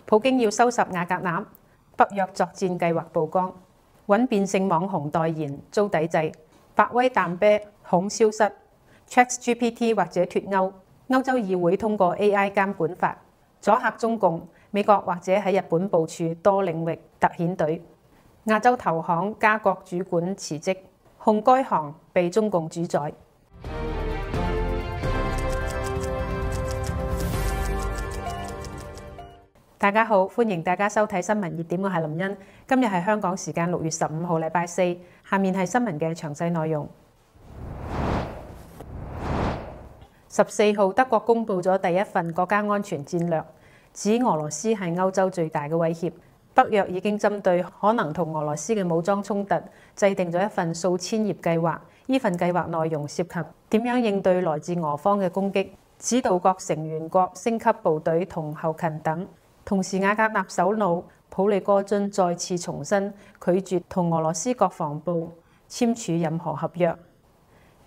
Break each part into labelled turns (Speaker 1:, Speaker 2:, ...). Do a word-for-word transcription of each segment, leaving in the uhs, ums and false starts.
Speaker 1: 普京要收拾瓦格納，北約作戰計劃曝光，揾變性網紅代言遭抵制，百威淡啤恐消失 ，ChatGPT 或者脫歐，歐洲議會通過 A I 監管法，阻嚇中共，美國或者喺日本部署多領域特遣隊，亞洲投行加國主管辭職，控該行被中共主宰。大家好，歡迎大家收睇新聞熱點，我係林茵。今日係香港時間六月十五號，禮拜四。下面係新聞嘅詳細內容。十四號，德國公布咗第一份國家安全戰略，指俄羅斯係歐洲最大嘅威脅。北約已經針對可能同俄羅斯嘅武裝衝突，制定咗一份數千頁計劃。呢份計劃內容涉及點樣應對來自俄方嘅攻擊，指導各成員國升級部隊同後勤等。同時，瓦格納首腦普利戈津再次重申拒絕同俄羅斯國防部簽署任何合約。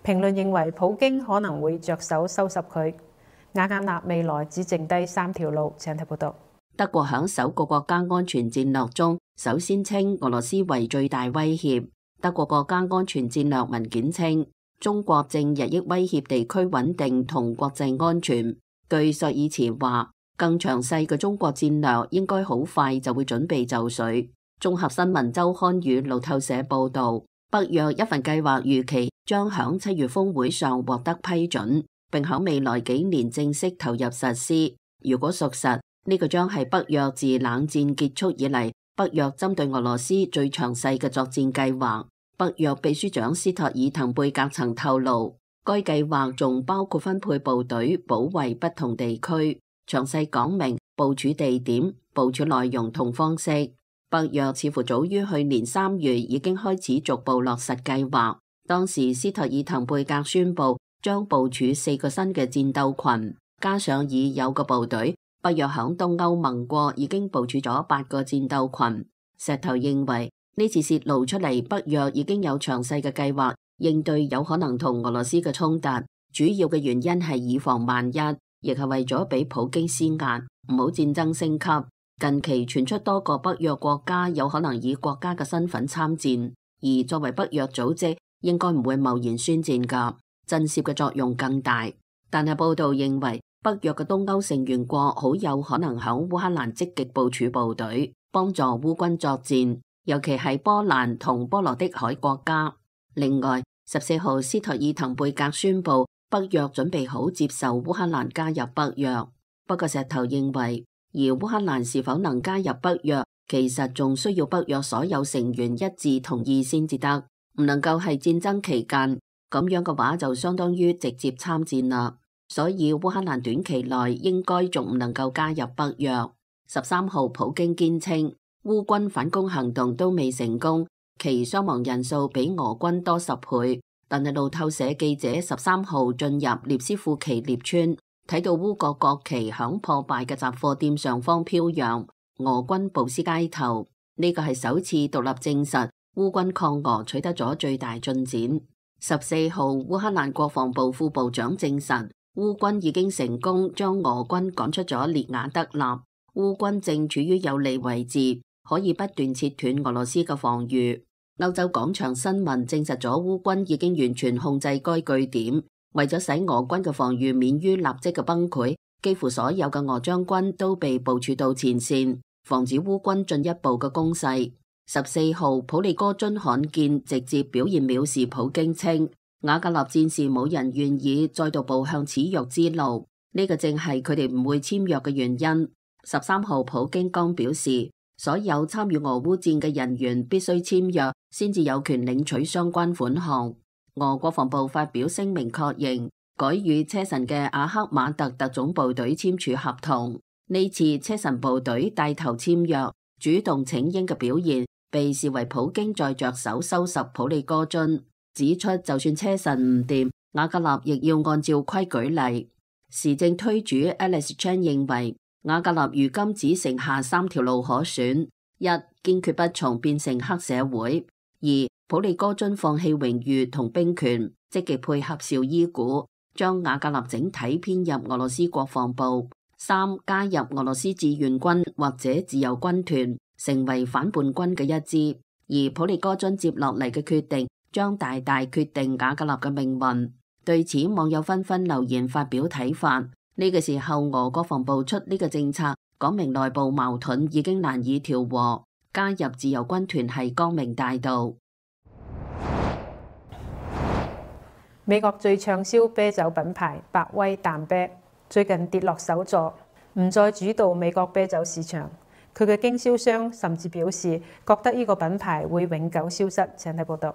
Speaker 1: 評論認為，普京可能會着手收拾佢。瓦格納未來只剩低三條路。請睇報道。
Speaker 2: 德國響首個國家安全戰略中，首先稱俄羅斯為最大威脅。德國國家安全戰略文件稱，中國正日益威脅地區穩定同國際安全。據朔爾茨話，更詳細嘅中國戰略應該好快就會準備就緒。綜合新聞週刊與路透社報道，北約一份計劃預期將響七月峰會上獲得批准，並響未來幾年正式投入實施。如果屬實，呢個將係北約自冷戰結束以嚟，北約針對俄羅斯最詳細嘅作戰計劃。北約秘書長斯托爾滕貝格曾透露，該計劃仲包括分配部隊保衛不同地區，詳細講明部署地點、部署內容同方式。北約似乎早於去年三月已經開始逐步落實計劃。當時斯托爾滕貝格宣布將部署四個新嘅戰鬥群，加上已有嘅部隊。北約響東歐盟國已經部署咗八個戰鬥群。石頭認為呢次泄露出嚟，北約已經有詳細嘅計劃應對有可能同俄羅斯嘅衝突。主要嘅原因係以防萬一，亦係為咗俾普京施壓，唔好戰爭升級。近期傳出多個北約國家有可能以國家嘅身份參戰，而作為北約組織，應該唔會貿然宣戰噶，震懾嘅作用更大。但係報道認為，北約嘅東歐成員國好有可能響烏克蘭積極部署部隊，幫助烏軍作戰，尤其係波蘭同波羅的海國家。另外，十四號斯托爾滕貝格宣布，北約準備好接受烏克蘭加入北約。不過石頭認為，而烏克蘭是否能加入北約，其實仲需要北約所有成員一致同意先至得，唔能夠係戰爭期間，咁樣嘅話就相當於直接參戰啦。所以烏克蘭短期內應該仲唔能夠加入北約。十三號普京堅稱烏軍反攻行動都未成功，其傷亡人數比俄軍多十倍。但係路透社記者十三號進入涅斯庫奇涅村，睇到烏國國旗響破敗嘅雜貨店上方飄揚，俄軍步屍街頭。呢個係首次獨立證實烏軍抗俄取得咗最大進展。十四號烏克蘭國防部副部長證實，烏軍已經成功將俄軍趕出咗列雅德納，烏軍正處於有利位置，可以不斷切斷俄羅斯嘅防禦。歐洲廣場新聞證實咗烏軍已經完全控制該據點，為咗使俄軍嘅防禦免於立即嘅崩潰，幾乎所有嘅俄將軍都被部署到前線，防止烏軍進一步嘅攻勢。十四號普利戈津罕見直接表現藐視普京，稱瓦格納戰士冇人願意再度步向恥辱之路，呢、這個正係佢哋唔會簽約嘅原因。十三號普京剛表示，所有參與俄烏戰嘅人員必須簽約，先至有權領取相關款項。俄國防部發表聲明確認，改與車臣嘅阿克馬特特種部隊簽署合同。呢次車臣部隊帶頭簽約，主動請纓嘅表現，被視為普京在着手收拾普利戈津。指出就算車臣唔掂，瓦格納亦要按照規矩嚟。時政推主 Alex Chan 認為，瓦格納如今只剩下三條路可選：一、堅決不從變成黑社會；二、普利戈津放棄榮譽同兵權，積極配合紹伊古，將瓦格納整體編入俄羅斯國防部；三、加入俄羅斯志願軍或者自由軍團，成為反叛軍嘅一支。而普利戈津接落嚟嘅決定，將大大決定瓦格納嘅命運。對此，網友紛紛留言發表睇法。呢個時候，俄國防部出呢個政策，講明內部矛盾已經難以調和，加入自由軍團係光明大道。
Speaker 1: 美國最暢銷啤酒品牌百威淡啤最近跌落首座，唔再主導美國啤酒市場。佢嘅經銷商甚至表示，覺得呢個品牌會永久消失。請睇報道。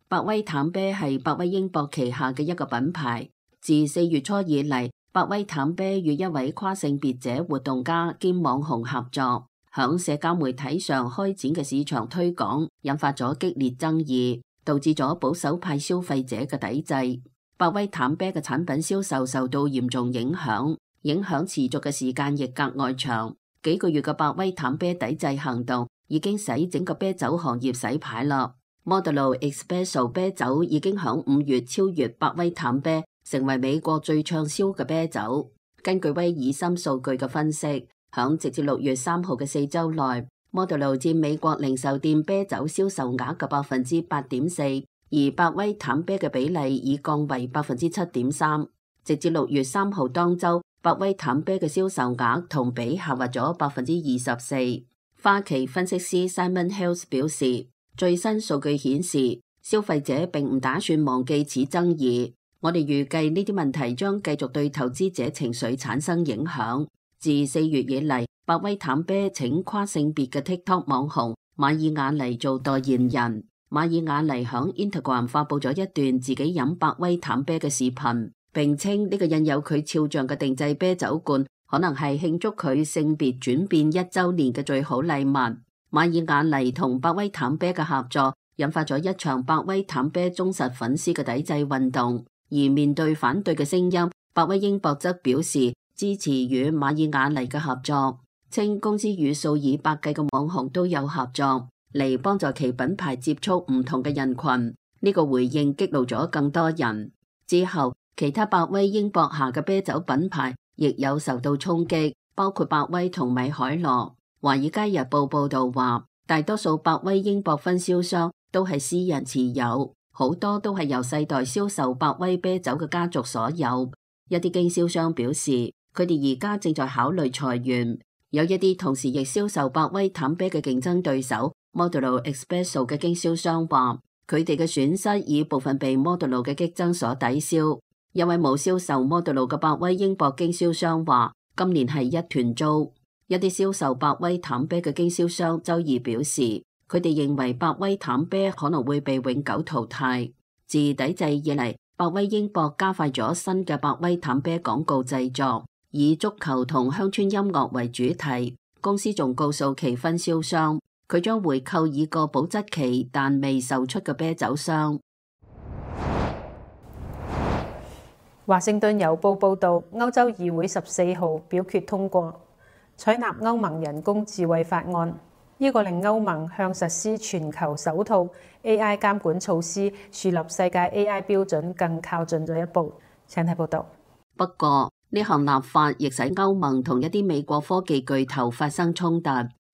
Speaker 2: 百威淡啤係百威英博旗下嘅一個品牌。自四月初以嚟，百威淡啤與一位跨性別者活動家兼網紅合作，響社交媒體上開展嘅市場推廣，引發咗激烈爭議，導致咗保守派消費者嘅抵制。百威淡啤嘅產品銷售受到嚴重影響，影響持續嘅時間亦格外長。幾個月嘅百威淡啤抵制行動已經使整個啤酒行業洗牌啦。Modelo Espresso 啤酒已經響五月超越百威淡啤，成為美國最暢銷嘅啤酒。根據威爾森數據嘅分析，響直至六月三號嘅四周內，Modelo 佔美國零售店啤酒銷售額嘅百分之八點四，而百威淡啤嘅比例已降為百分之七點三。直至六月三號當周，百威淡啤嘅銷售額同比下滑咗百分之二十四。花旗分析師 Simon Hills 表示，最新數據顯示，消費者並唔打算忘記此爭議。我哋預計呢啲問題將繼續對投資者情緒產生影響。自四月以嚟，百威淡啤請跨性別嘅 TikTok 網紅馬爾雅尼做代言人。馬爾雅尼響 Instagram 發佈咗一段自己飲百威淡啤嘅視頻，並稱呢個印有佢肖像嘅定製啤酒罐可能係慶祝佢性別轉變一週年嘅最好禮物。馬爾雅尼同百威淡啤嘅合作引發咗一場百威淡啤忠實粉絲嘅抵制運動，而面對反對嘅聲音，百威英博則表示支持與馬爾雅尼嘅合作，稱公司與數以百計嘅網紅都有合作嚟幫助其品牌接觸唔同嘅人群。呢個回應激怒咗更多人。之後，其他百威英博下嘅啤酒品牌亦有受到衝擊，包括百威同米海羅。《華爾街日報》報道話，大多數百威英博分銷商都係私人持有，好多都係由世代銷售百威啤酒嘅家族所有。一啲經銷商表示，佢哋而家正在考慮裁員。有一啲同時亦銷售百威淡啤嘅競爭對手 Modelo Espresso 嘅經銷商話，佢哋嘅損失以部分被 Modelo 嘅激增所抵消。一位冇銷售 Modelo 嘅百威英博經銷商話，今年係一團糟。一啲銷售百威淡啤嘅經銷商周二表示，佢哋認為百威淡啤可能會被永久淘汰。自抵制以嚟，百威英博加快咗新嘅百威淡啤廣告製作，以足球同鄉村音樂為主題。公司仲告訴其分銷商，佢將回購已過保質期但未售出嘅啤酒箱。
Speaker 1: 華盛頓郵報報導，歐洲議會十四號表決通過採納歐盟人工智慧法案，呢個令歐盟向實施全球首套 A I 監管措施、樹立世界 A I 標準更靠近咗一步。請睇報道。
Speaker 2: 不過呢項立法亦使歐盟同一啲美國科技巨頭發生衝突。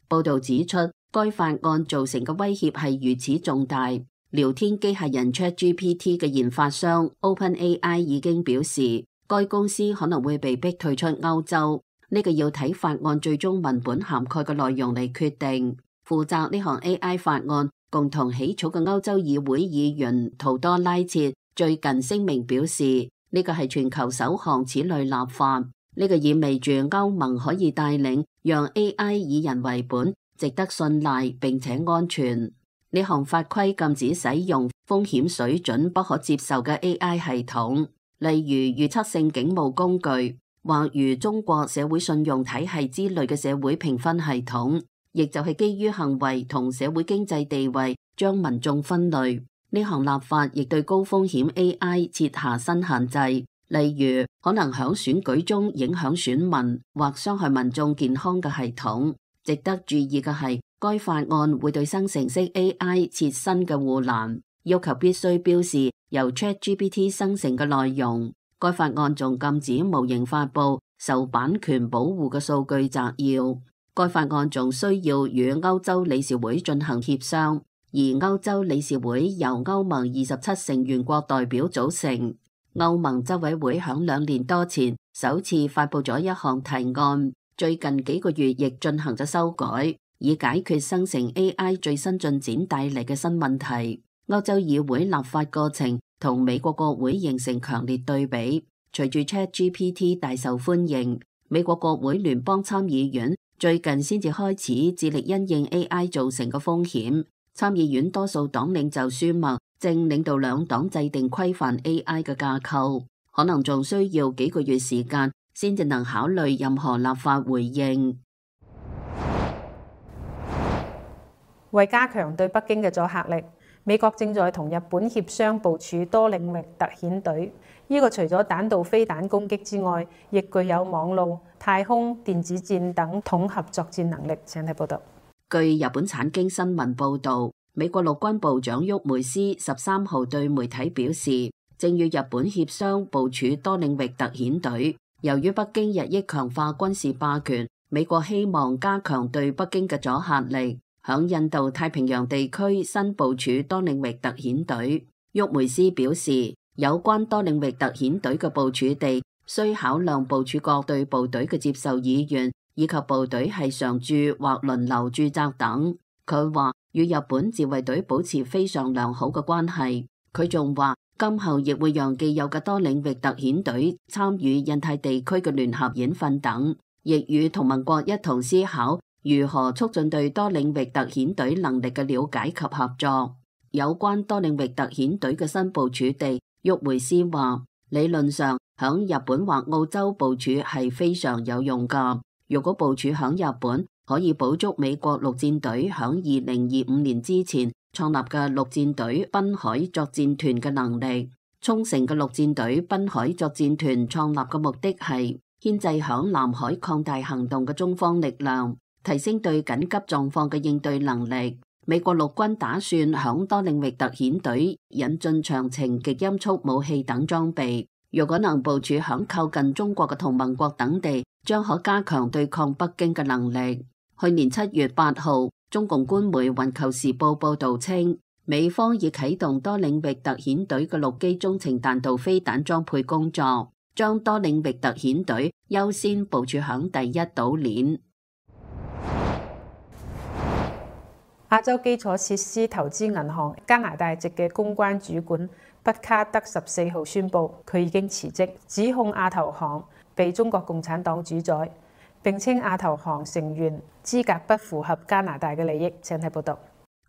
Speaker 2: 報導指出，該法案造成嘅威脅係如此重大。聊天機械人 ChatGPT 嘅研發商 OpenAI 已經表示，該公司可能會被逼退出歐洲。呢個要睇法案最終文本涵蓋嘅內容嚟決定。負責呢項 A I 法案共同起草嘅歐洲議會議員圖多拉切最近聲明表示，呢個係全球首項此類立法。呢個意味住歐盟可以帶領讓 A I 以人為本、值得信賴並且安全。呢項法規禁止使用風險水準不可接受嘅 A I 系統，例如預測性警務工具，或如中國社會信用體系之類嘅社會評分系統，亦就係基於行為同社會經濟地位將民眾分類。呢項立法亦對高風險 A I 設下新限制，例如可能響選舉中影響選民或傷害民眾健康嘅系統。值得注意嘅係，該法案會對生成式 A I 設新嘅護欄，要求必須標示由 ChatGPT 生成嘅內容。該法案仲禁止模型發布受版權保護嘅數據摘要。該法案仲需要與歐洲理事會進行協商，而歐洲理事會由歐盟二十七成員國代表組成。歐盟執委會響兩年多前首次發布咗一項提案，最近幾個月亦進行咗修改，以解決生成 A I 最新進展帶嚟嘅新問題。歐洲議會立法過程同美國國會形成強烈對比。隨住 ChatGPT 大受歡迎，美國國會聯邦參議院最近先至開始致力因應 A I 造成嘅風險。參議院多數黨領袖舒默正領導兩黨制定規範 A I 嘅架構，可能仲需要幾個月時間先至能考慮任何立法回應。
Speaker 1: 為加強對北京嘅阻嚇力，美國正在同日本協商部署多領域特遣隊。呢個除咗彈道飛彈攻擊之外，亦具有網路、太空、電子戰等統合作戰能力。請睇報道。
Speaker 2: 據日本產經新聞報導，美國陸軍部長沃梅斯十三號對媒體表示，正與日本協商部署多領域特遣隊。由於北京日益強化軍事霸權，美國希望加強對北京嘅阻嚇力，響印度太平洋地區新部署多領域特遣隊。沃梅斯表示，有關多領域特遣隊嘅部署地需考量部署各隊部隊嘅接受意願，以及部隊係常駐或輪流駐紮等。佢話與日本自衛隊保持非常良好嘅關係。佢仲話今後亦會讓既有嘅多領域特遣隊參與印太地區嘅聯合演訓等，亦與同盟國一同思考如何促進對多領域特遣隊能力嘅了解及合作。有關多領域特遣隊嘅新部署地，沃梅斯話理論上響日本或澳洲部署係非常有用㗎。如果部署響日本，可以補足美國陸戰隊響二零二五年之前創立嘅陸戰隊濱海作戰團嘅能力。沖繩嘅陸戰隊濱海作戰團創立嘅目的係牽制響南海擴大行動嘅中方力量，提升對緊急狀況嘅應對能力。美國陸軍打算響多領域特遣隊引進長程極音速武器等裝備。如果能部署響靠近中國嘅同盟國等地，將可加強對抗北京嘅能力。去年七月八號，中共官媒《環球時報》報道稱，美方已啟動多領域特遣隊嘅陸基中程彈道飛彈裝配工作，將多領域特遣隊優先部署響第一島鏈。
Speaker 1: 亞洲基礎設施投資銀行加拿大籍嘅公關主管畢卡德十四號宣布，佢已經辭職，指控亞投行被中國共產黨主宰，並稱亞投行成員資格不符合加拿大嘅利益。請睇報道。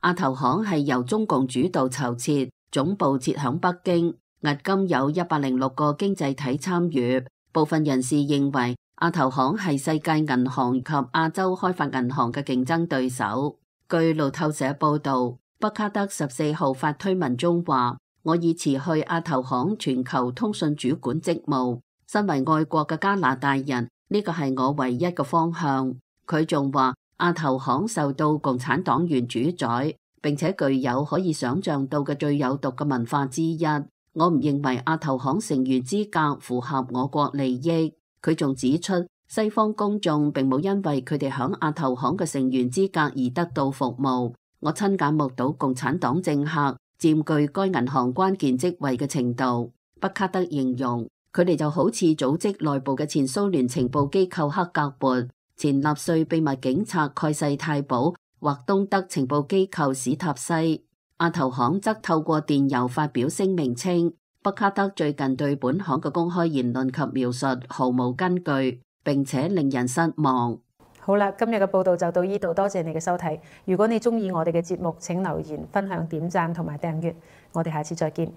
Speaker 2: 亞投行係由中共主導籌設，總部設響北京，迄今有一百零六個經濟體參與。部分人士認為亞投行係世界銀行及亞洲開發銀行嘅競爭對手。據路透社報道，畢卡德十四號發推文中話：我已辭去亞投行全球通訊主管職務。身為愛國嘅加拿大人，呢個係我唯一嘅方向。佢仲話亞投行受到共產黨員主宰，並且具有可以想象到嘅最有毒嘅文化之一。我唔認為亞投行成員資格符合我國利益。佢仲指出，西方公眾並冇因為佢哋響亞投行嘅成員資格而得到服務。我親眼目睹共產黨政客佔據該銀行關鍵職位嘅程度。畢卡德形容佢哋就好似組織內部嘅前蘇聯情報機構克格勃、前納粹秘密警察蓋世太保或東德情報機構史塔西。亞投行則透過電郵發表聲明稱，畢卡德最近對本行嘅公開言論及描述毫無根據，並且令人失望。
Speaker 1: 好啦，今日嘅報道就到呢度，多謝你嘅收睇。如果你中意我哋嘅節目，請留言、分享、點讚同埋訂閱。我哋下次再見。